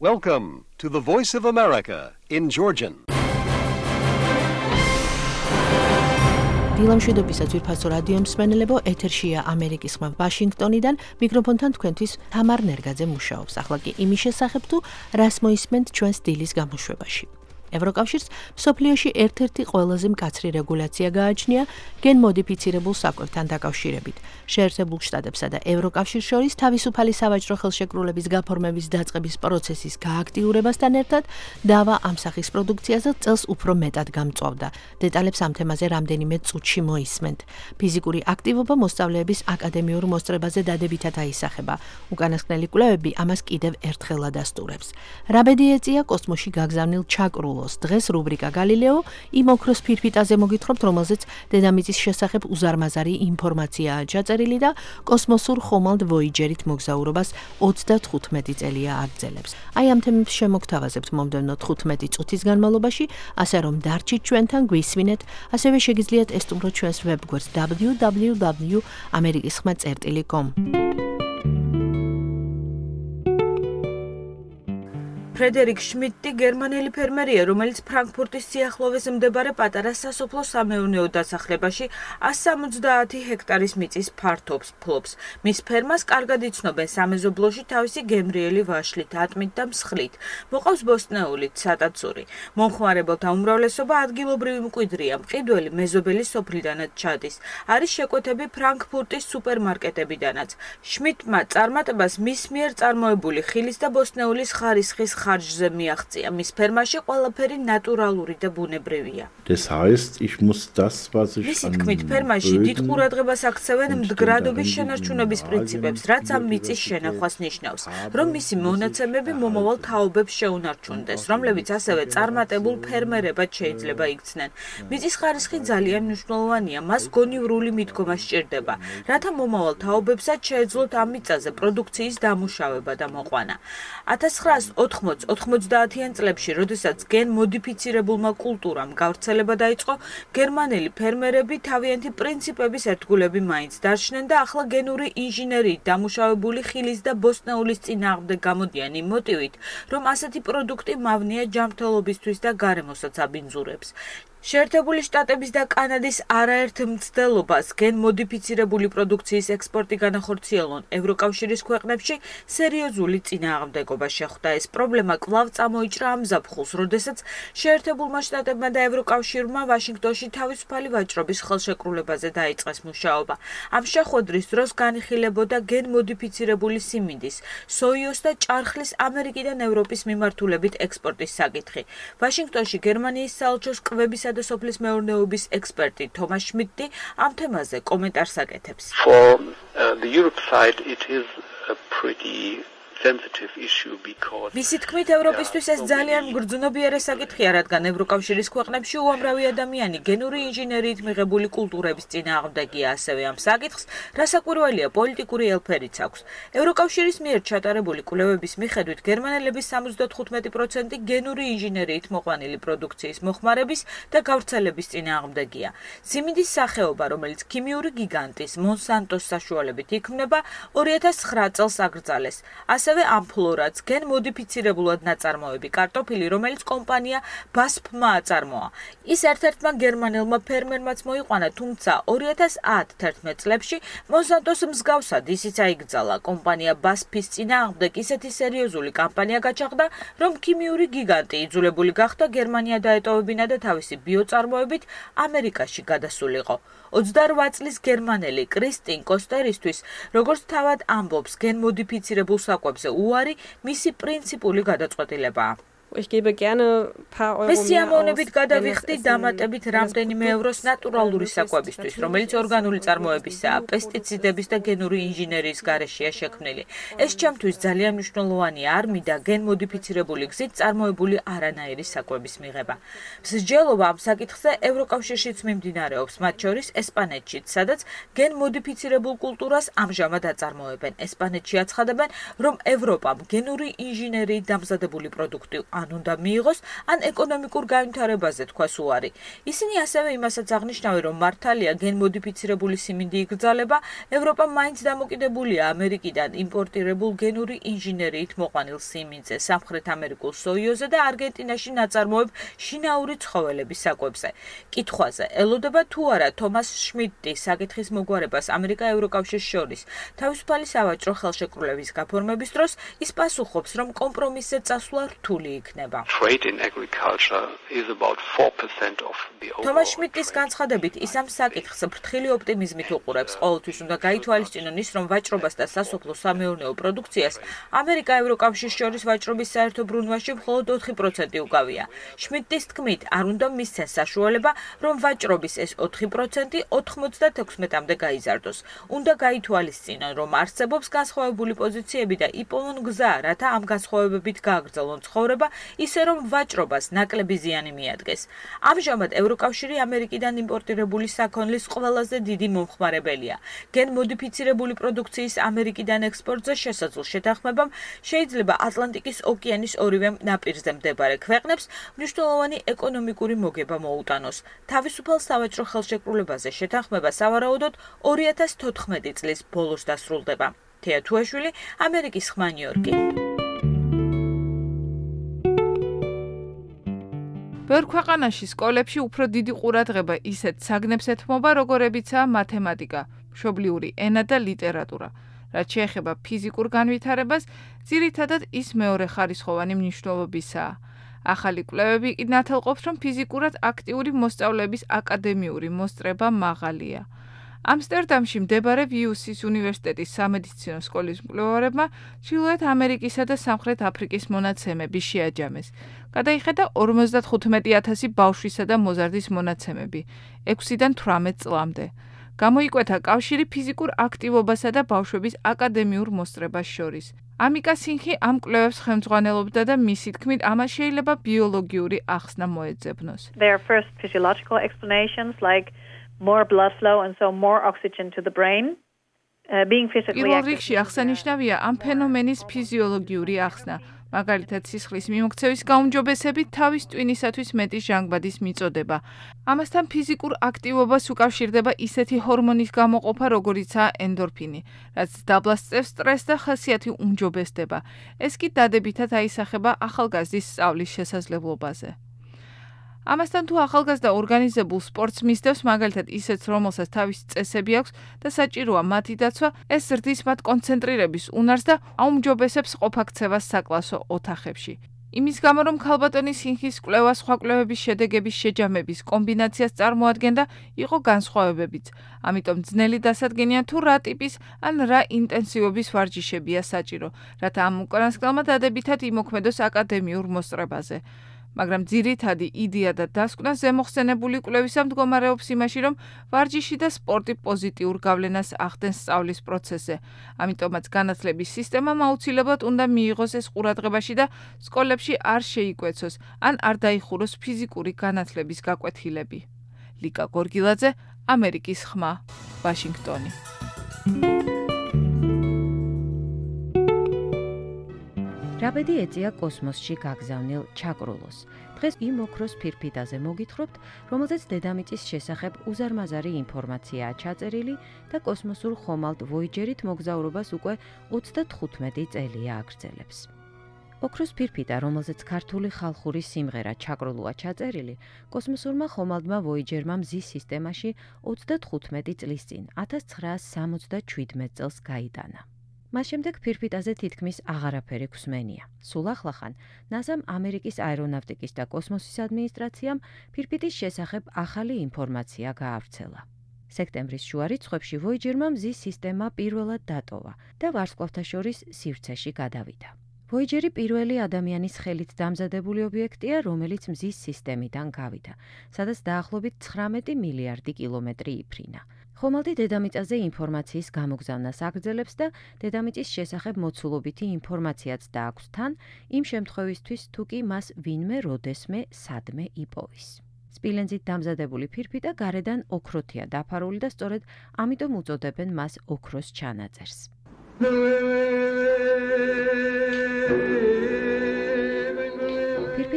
Welcome to the Voice of America in Georgian. დილამშვიდობისა ძვირფასო რადიო მსმენელებო, ეთერშია ამერიკის ხმა ვაშინგტონიდან, მიკროფონთან თქვენთვის თამარ ნერგაძე მუშაობს. ახლა კი იმის შესახებ თუ რას მოისმენთ ჩვენს დილის გამოშვებაში. ევროკავშირს მსოფლიოში ერთ-ერთი ყველაზე მკაცრი რეგულაცია გააჩნია გენმოდიფიცირებულ საკვებთან დაკავშირებით. შეერთებულ შტატებსა და ევროკავშირს შორის თავისუფალი სავაჭრო ხელშეკრულების გაფორმების დაწყების პროცესის გააქტიურებასთან ერთად დავა ამ სახის პროდუქციაზე წელს უფრო მეტად გამწვავდა. დეტალებს ამ თემაზე რამდენიმე წუთში მოისმენთ. ფიზიკური აქტივობა მოსწავლეების აკადემიურ მოსწრებაზე დადებითად აისახება. უკანასკნელი კვლევები ამას კიდევ ერთხელ ადასტურებს. რა ბედი ეწია კოსმოსში გაგზავნილ ჩაკრულ დღეს რუბრიკა გალილეო იმ ოქროს ფირფიტაზე მოგითხრობთ, რომელზეც დედამიწის შესახებ უზარმაზარი ინფორმაციაა ჩაწერილი და კოსმოსურ ხომალდ ვოიჯერით მოგზაურობას 35 წელია აგრძელებს. აი ამ თემებს შემოგთავაზებთ მომდევნო 15 წუთის განმავლობაში, ასე რომ დარჩით ჩვენთან, გვისმინეთ, ასევე შეგიძლიათ ესტუმროთ ჩვენს ვებგვერდს www.amerikisxma.com. ფრედერიკ შმიდტი გერმანელი ფერმერია, რომელიც ფრანკფურტის სიახლოვეს მდებარე პატარა სასოფლო-სამეურნეო დასახლებაში 170 ჰექტარის მიწის ფართობს ფლობს. მის ფერმას კარგად იცნობენ სამეზობლოში თავისი გემრიელი ვაშლით, ატმით და მსხლით. მოყავს ბოსტნეულით, სატაცური. მომხმარებელთა უმრავლესობა ადგილობრივი მკვიდრია, მყიდველი მეზობელი სოფლიდანაც ჩადის. არის შეკვეთები ფრანკფურტის სუპერმარკეტებიდანაც. შმიდტმა წარმატებას მის მიერ წარმოებული ხილის და ბოსტნეულის ხარისხის ხარჯზე მიაღწია. მის ფერმაში ყველაფერი ნატურალური და ბუნებრივია. Das heißt, ich muss das, was ich მისი თქმით, ფერმაში დიდ ყურადღებას აქცევენ მდგრადობის შენარჩუნების პრინციპებს, რაც ამ მიწის შენახვას ნიშნავს, რომ მისი მონაცემები მომავალ თაობებს შეუნარჩუნდეს, რომლებიც ასევე წარმატებულ ფერმერებად შეიძლება იქცნენ. მიწის ხარისხი ძალიან მნიშვნელოვანია, მას გონივრული მიდგომა სჭირდება, რათა მომავალ თაობებსაც შეეძლოთ ამ მიწაზე პროდუქციის დამუშავება და მოყვანა. 1990-იან წლებში, როდესაც გენმოდიფიცირებულმა კულტურამ გავრცელება დაიწყო, გერმანელი ფერმერები თავიანთი პრინციპების ერთგულები მაინც დარჩნენ და ახლა გენური ინჟინერიით დამუშავებული ხილის და ბოსტნეულის წინააღმდეგ გამოდიან იმ მოტივით, რომ ასეთი პროდუქტი მავნეა ჯანმრთელობისთვის და გარემოსაც აბინძურებს. შეერთებული შტატების და კანადის არაერთ მცდელობას გენმოდიფიცირებული პროდუქციის ექსპორტი განახორციელონ ევროკავშირის ქვეყნებში სერიოზული წინააღმდეგობა შეხვდა. ეს პრობლემა კვლავ წამოიჭრა ამ ზაფხულს, როდესაც შეერთებულმა შტატებმა და ევროკავშირმა ვაშინგტონში თავისუფალი ვაჭრობის ხელშეკრულებაზე დაიწყეს მუშაობა. ამ შეხვედრის დროს განიხილებოდა გენმოდიფიცირებული სიმინდის, სოიოს და ჭარხლის ამერიკიდან ევროპის მიმართულებით ექსპორტის საკითხი. ვაშინგტონში გერმანიის საელჩოს კვებისა და სოფლის მეურნეობის ექსპერტი თომას შმიდტი ამ თემაზე კომენტარს აკეთებს. For the Europe side, it is a pretty sensitive issue because მისი თქმით, ევროპისთვის ეს ძალიან მგრძნობიარე საკითხია, რადგან ევროკავშირის ქვეყნებში უამრავი ადამიანი გენური ინჟინერიით მიღებული კულტურების წინააღმდეგია. ასევე ამ საკითხს რასაკვირველია პოლიტიკური ელფერიც აქვს. ევროკავშირის მიერ ჩატარებული კვლევების მიხედვით, გერმანელების 75% გენური ინჟინერიით მოყვანილი პროდუქციის მოხმარების და გავრცელების წინააღმდეგია. სიმინდის სახეობა, რომელიც ქიმიური გიგანტის მონსანტოს საშუალებით იქმნება, 2009 წელს აკრძალეს. ასევე ამფლორაც გენმოდიფიცირებულად ნაწარმოები კარტოფილი, რომელიც კომპანია BASF-მა აწარმოა. ის ერთ-ერთმა გერმანელმა ფერმერმაც მოიყვანა, თუმცა 2010-11 წლებში მონსანტოს მსგავსად ისიც აიკრძალა. კომპანია BASF-ის წინააღმდეგ ისეთი სერიოზული კამპანია გაჩაღდა, რომ ქიმიური გიგანტი იძულებული გახდა გერმანია დაეტოვებინა და თავისი ბიოწარმოებით ამერიკაში გადასულიყო. 28 წლის გერმანელი კრისტინ კოსტერისთვის, როგორც თავად ამბობს, გენმოდიფიცირებულ საკვებზე უარი მისი პრინციპული გადაწყვეტილებაა. მე სიამოვნებით გადავიხდი დამატებით რამდენიმე ევროს ნატურალური საკვებისთვის, რომელიც ორგანული წარმოებისაა, პესტიციდების და გენური ინჟინერიის გარეშეა შექმნილი. ეს ჩემთვის ძალიან მნიშვნელოვანია, არ მინდა გენმოდიფიცირებული გზით წარმოებული არანაირი საკვების მიღება. მსჯელობა ამ საკითხზე ევროკავშირშიც მიმდინარეობს, მათ შორის ესპანეთშიც, სადაც გენმოდიფიცირებულ კულტურას ამჟამად აწარმოებენ. ესპანეთში აცხადებენ, რომ ევროპამ გენური ინჟინერიით დამზადებული პროდუქტი ან უნდა მიიღოს, ან ეკონომიკურ განვითარებაზე თქვას უარი. ისინი ასევე იმასაც აღნიშნავენ, რომ მართალია გენმოდიფიცირებული siმინდი იგრძალება, ევროპა მაინც დამოკიდებულია ამერიკიდან იმპორტირებულ გენური ინჟინერიით მოყვანილ siმინდზე, სამხრეთ ამერიკულ სოიოზე და არგენტინაში ნაწარმოებ შინაური ცხოველების საკვებზე. კითხვაზე, ელოდება თუ არა თომას შმიდტის საკითხის მოგვარებას ამერიკა-ევროკავშირის შორის თავისუფალი სავაჭრო ხელშეკრულების გაფორმების დროს, ის პასუხობს, რომ კომპრომისზე წასვლა რთული იქნება. Trade in agriculture is about 4% of the overall. თომას შმიდტის განცხადებით, ის ამ საკითხს ფრთხილი ოპტიმიზმით უყურებს. ყოველთვის უნდა გაითვალისწინონ ის, რომ ვაჭრობას და სასოფლო-სამეურნეო პროდუქციას ამერიკა-ევროკავშირის შორის ვაჭრობის საერთო ბრუნვაში მხოლოდ 4% უკავია. შმიდტის თქმით, არ უნდა მისცენ საშუალება, რომ ვაჭრობის ეს 4% 96-მდე გაიზარდოს. უნდა გაითვალისწინონ, რომ არსებობს განსხვავებული პოზიციები და იპოვონ გზა, რათა ამ განსხვავებებით გააგრძელონ ცხოვრება, ისე რომ ვაჭრობას ნაკლები ზიანი მიადგეს. ამჟამად ევროკავშირი ამერიკიდან იმპორტირებული საქონლის ყველაზე დიდი მომხმარებელია. გენმოდიფიცირებული პროდუქციის ამერიკიდან ექსპორტზე შესაძლო შეთანხმებამ შეიძლება ატლანტიკის ოკეანის ორივე ნაპირზე მდებარე ქვეყნებს მნიშვნელოვანი ეკონომიკური მოგება მოუტანოს. თავისუფალ სავაჭრო ხელშეკრულებაზე შეთანხმება სავარაუდოდ 2014 წლის ბოლოს დასრულდება. თეა თუაშვილი, ამერიკის ხმა, ნიუ-იორკი. ბევრ ქვეყანაში სკოლებში უფრო დიდი ყურადღება ისეთ საგნებს ეთმობა, როგორებიცაა მათემატიკა, მშობლიური ენა და ლიტერატურა. რაც შეეხება ფიზიკურ განვითარებას, ძირითადად ის მეორეხარისხოვანი მნიშვნელობისაა. ახალი კვლევები კი ნათელყოფს, რომ ფიზიკურად აქტიური მოსწავლეების აკადემიური მოსწრება მაღალია. ამსტერდამში მდებარე ვიუსის უნივერსიტეტის სამედიცინო სკოლის მკვლევარებმა ჩრდილოეთ ამერიკისა და სამხრეთ აფრიკის მონაცემები შეაჯამეს. გადაიხედა 55,000 ბავშვისა და მოზარდის მონაცემები 6-დან 18 წლამდე. გამოიკვეთა კავშირი ფიზიკურ აქტივობასა და ბავშვების აკადემიურ მოსწრებას შორის. ამიკა სინხი ამ კვლევებს ხელმძღვანელობდა და მისი თქმით, ამას შეიძლება ბიოლოგიური ახსნა მოეძებნოს. There are first physiological explanations like more blood flow and so more oxygen to the brain. Being physically პირველ რიგში აღსანიშნავია ამ ფენომენის ფიზიოლოგიური ახსნა. მაგალითად, სისხლის მიმოქცევის გაუმჯობესებით თავის ტვინისათვის მეტი ჟანგბადის მიწოდება. ამასთან ფიზიკურ აქტივობას უკავშირდება ისეთი ჰორმონის გამოყოფა, როგორიცაა ენდორფინი, რაც დაბლასწევს სტრესს და ხასიათი უმჯობესდება. ეს კი დადებითად აისახება ახალგაზრდის სწავლის შესაძლებლობაზე. ამასთან თუ ახალგაზრდა ორგანიზებულ სპორტს მისდევს, მაგალითად ისეთს, რომელსაც თავისი წესები აქვს და საჭიროა მათი დაცვა, ეს ზრდის მათ კონცენტრირების უნარს და აუმჯობესებს ყოფაქცევას საკლასო ოთახებში. იმის გამო, რომ ქალბატონის სინხის კვლევა სხვა კვლევების შედეგების შეჯამების კომბინაციას წარმოადგენდა, იყო განსხვავებებიც. ამიტომ ძნელი დასადგენია თუ რა ტიპის ან რა ინტენსივობის ვარჯიშებია საჭირო, რათა ამ უკანასკნელმა დადებითად იმოქმედოს აკადემიურ მოსწრებაზე. მაგრამ ძირითადი იდეა და დასკვნა ზემოხსენებული კვლევისა მდგომარეობს იმაში, რომ ვარჯიში და სპორტი პოზიტიურ გავლენას ახდენს სწავლის პროცესზე. ამიტომაც განათლების სისტემამ აუცილებლად უნდა მიიღოს ეს ყურადღებაში და სკოლებში არ შეიკვეცოს, ან არ დაიხუროს ფიზიკური განათლების გაკვეთილები. ლიკა გორგილაძე, ამერიკის ხმა, ვაშინგტონი. რაბედი ეწია კოსმოსში გაგზავნილ ჩაკრულოს. დღეს იმ ოქროს ფირფიტაზე მოგითხრობთ, რომელზეც დედამიწის შესახებ უზარმაზარი ინფორმაციაა ჩაწერილი და კოსმოსურ ხომალდ ვოიჯერით მოგზაურობას უკვე 35 წელია აგრძელებს. ოქროს ფირფიტა, რომელზეც ქართული ხალხური სიმღერა ჩაკრულოა ჩაწერილი, კოსმოსურმა ხომალდმა ვოიჯერმა მზის სისტემაში 35 წლის წინ 1977 წელს გაიტანა. მას შემდეგ ფირფიტაზე თითქმის აღარაფერი გვსმენია. სულ ახლახან NASA-მ ამერიკის აერონავტიკის და კოსმოსის ადმინისტრაციამ ფირფიტის შესახებ ახალი ინფორმაცია გაავრცელა. სექტემბრის შუა რიცხვებში ვოიჯერმა მზის სისტემა პირველად დატოვა და ვარსკვლავთა შორის სივრცეში გადავიდა. ვოიჯერი პირველი ადამიანის ხელით დამზადებული ობიექტია, რომელიც მზის სისტემიდან გავიდა, სადაც დაახლოებით 19 მილიარდი კილომეტრი იფრინა. ხომალდი დედამიწაზე ინფორმაციის გამოგზავნას აგრძელებს და დედამიწის შესახებ მოცულობითი ინფორმაციაც დააქვს თან, იმ შემთხვევისთვის თუ კი მას ვინმე როდესმე სადმე იპოვის. სპილენძით დამზადებული ფირფიტა გარედან ოქროთია დაფარული და სწორედ ამიტომ უწოდებენ მას ოქროს ჩანაწერს.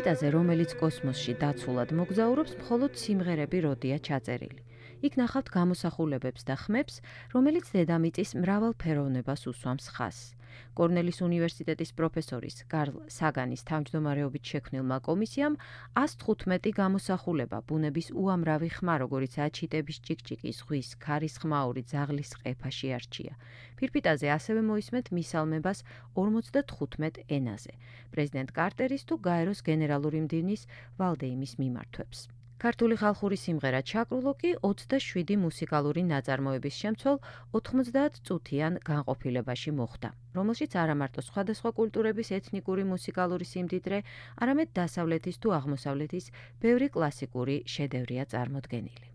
ფირფიტაზე, რომელიც კოსმოსში დაცულად მოგზაურობს, მხოლოდ სიმღერები როდია ჩაწერილი. იქ ნახავთ გამოსახულებებს და ხმებს, რომელიც დედამიწის მრავალ ფეროვნებას უსვამს ხაზს. კორნელის უნივერსიტეტის პროფესორის კარლ საგანის თავმჯდომარეობით შექმნილმა კომისიამ 115 გამოსახულება ბუნების უამრავი ხმა, როგორიცაა ჩიტების ჭიკჭიკი, ზღვის, ქარის ხმაური, ძაღლის ყეფაში არჩია. ფირფიტაზე ასევე მოისმენთ მისალმებას 55 ენაზე, პრეზიდენტ კარტერის თუ გაეროს გენერალური მდივნის ვალდეიმის მიმართვებს. ქართული ხალხური სიმღერა ჩაკრულო კი 27 მუსიკალური ნაწარმოების შემცველ 90 წუთიან განყოფილებაში მოხვდა, რომელშიც არა მარტო სხვადასხვა კულტურების ეთნიკური მუსიკალური სიმდიდრე, არამედ დასავლეთის თუ აღმოსავლეთის ბევრი კლასიკური შედევრია წარმოდგენილი.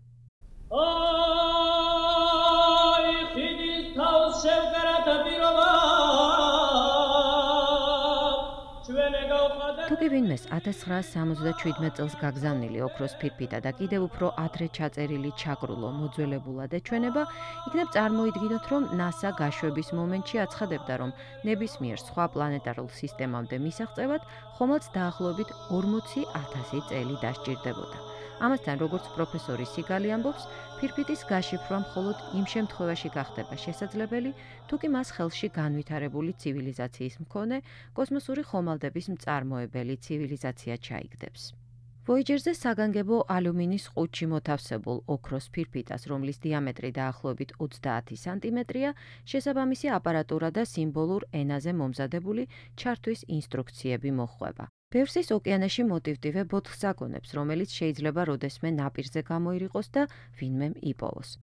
თუკი ვინმეს 1977 წელს გაგზავნილი ოქროს ფირფიტა და კიდევ უფრო ადრე ჩაწერილი ჩაკრულო მოძველებულად ეჩვენება, იქნებ წარმოიდგინოთ, რომ NASA გაშვების მომენტში აცხადებდა, რომ ნებისმიერ სხვა პლანეტარულ სისტემამდე მისაღწევად ხომალდ დაახლოებით 40,000 წელი დასჭირდებოდა. ამასთან, როგორც პროფესორი სიგალი ამბობს, ფირფიტის გაშიფრვა მხოლოდ იმ შემთხვევაში გახდება შესაძლებელი, თუკი მას ხელში განვითარებული ცივილიზაციის მქონე კოსმოსური ხომალდების მწარმოებელი ცივილიზაცია ჩაიგდებს. Voyager-ზე საგანგებო ალუმინის ყუთში მოთავსებულ ოქროს ფირფიტას, რომლის დიამეტრი დაახლოებით 30 სანტიმეტრია, შესაბამისი აპარატურა და სიმბოლურ ენაზე მომზადებული ჩართვის ინსტრუქციები მოჰყვება. ბევრს ოკეანეში მოტივტივე ბოთლს აგონებს, რომელიც შეიძლება როდესმე ნაპირზე გამოირიყოს და ვინმემ იპოვოს.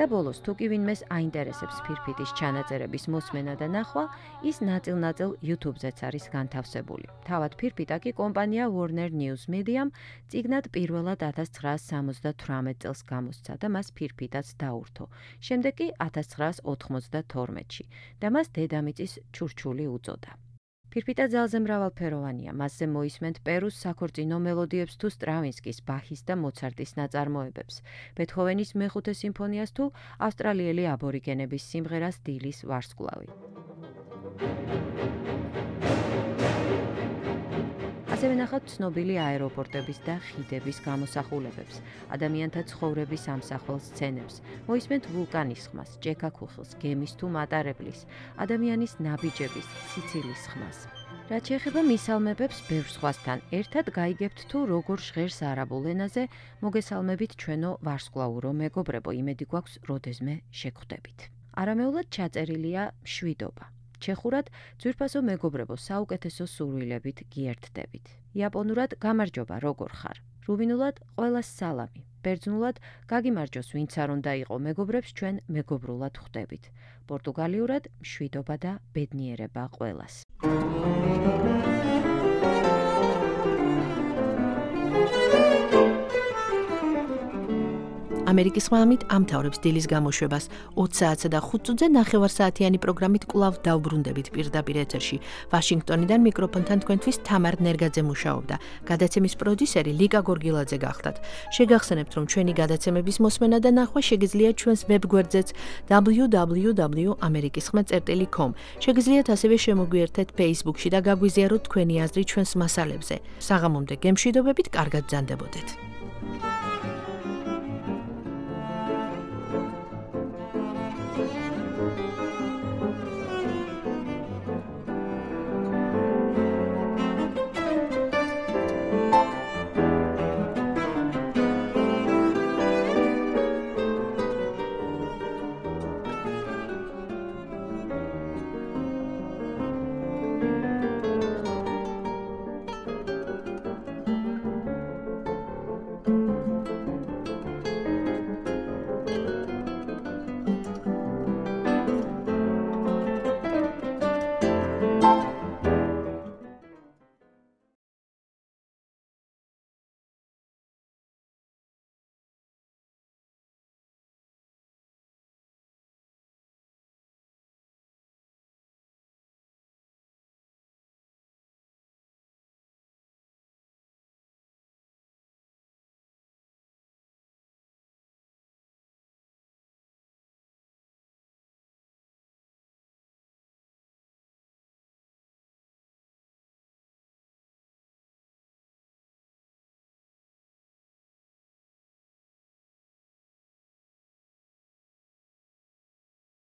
და ბოლოს, თუკი ვინმეს აინტერესებს ფირფიტის ჩანაწერების მოსმენა და ნახვა, ის ნაწილ-ნაწილ YouTube-ზეც არის განთავსებული. თავად ფირფიტა კი კომპანია Warner News Media-მ წიგნად პირველად 1978 წელს გამოსცა და მას ფირფიტაც დაურთო. შემდეგ კი 1992-ში და მას დედამიწის ჩურჩული უწოდა. ფირფიტა ძალზე მრავალფეროვანია, მასზე მოისმენთ პერუს საქორწინო მელოდიებს თუ სტრავინსკის, ბახის და მოცარტის ნაწარმოებებს, ბეთჰოვენის მეხუთე სიმფონიას თუ ავსტრალიელი აბორიგენების სიმღერას დილის ვარსკვლავი. ასევე ნახავთ ცნობილი აეროპორტების და ხიდების გამოსახულებებს, ადამიანთა ცხოვრების ამსახველ სცენებს, მოისმენთ ვულკანის ხმას, ჭექა-ქუხილს, გემის თუ მატარებლის, ადამიანის ნაბიჯების, სიცილის ხმას. რაც შეეხება მისალმებებს ბევრ სხვასთან, ერთად გაიგებთ თუ როგორ ჟღერს არაბულ ენაზე, მოგესალმებით ჩვენო ვარსკვლავურო მეგობრებო, იმედი გვაქვს როდესმე შეგხვდებით. არამეულად ჩაწერილია მშვიდობა. ჩეხურად ძვირფასო მეგობრებო, საუკეთესო სურვილებით გიერთდებით. იაპონურად გამარჯობა, როგორ ხარ? რუმინულად ყველას სალამი. ბერძნულად გაგიმარჯოს, ვინც არ უნდა იყო მეგობრებს ჩვენ მეგობრულად ხვდებით. პორტუგალიურად მშვიდობა და ბედნიერება ყველას. ამერიკის ხმამით ამთავრებს დილის გამოშვებას 20 საათსა და 5 წუთზე ნახევარსაათიანი პროგრამით კვლავ დავბრუნდებით პირდაპირ ეთერში. ვაშინგტონიდან მიკროფონთან თქვენთვის თამარ ნერგაძე მუშაობდა. გადაცემის პროდიუსერი ლიკა გორგილაძე გახდათ. შეგახსენებთ, რომ ჩვენი გადაცემების მოსმენა და ნახვა შეგიძლიათ ჩვენს ვებგვერდზეც www.amerikiskhma.com. შეგიძლიათ ასევე შემოგვიერთეთ Facebook-ში და გაგვიზიაროთ თქვენი აზრი ჩვენს მასალებზე. საღამომდე გემშვიდობებით, კარგად ბრძანდებოდეთ.